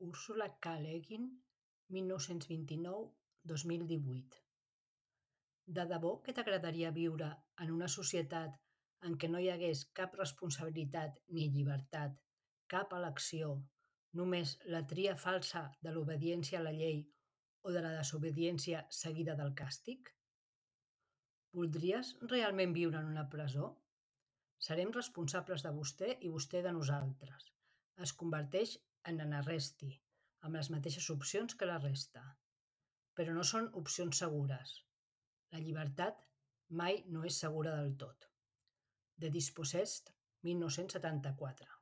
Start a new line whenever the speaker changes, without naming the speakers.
Úrsula K. Le Guin, 1929-2018. De debò que t'agradaria viure en una societat en què no hi hagués cap responsabilitat ni llibertat, cap elecció, només la tria falsa de l'obediència a la llei o de la desobediència seguida del càstig? Voldries realment viure en una presó? Serem responsables de vostè i vostè de nosaltres. Es converteix en Arresti, amb les mateixes opcions que la resta. Però no són opcions segures. La llibertat mai no és segura del tot. De Dispossessed, 1974.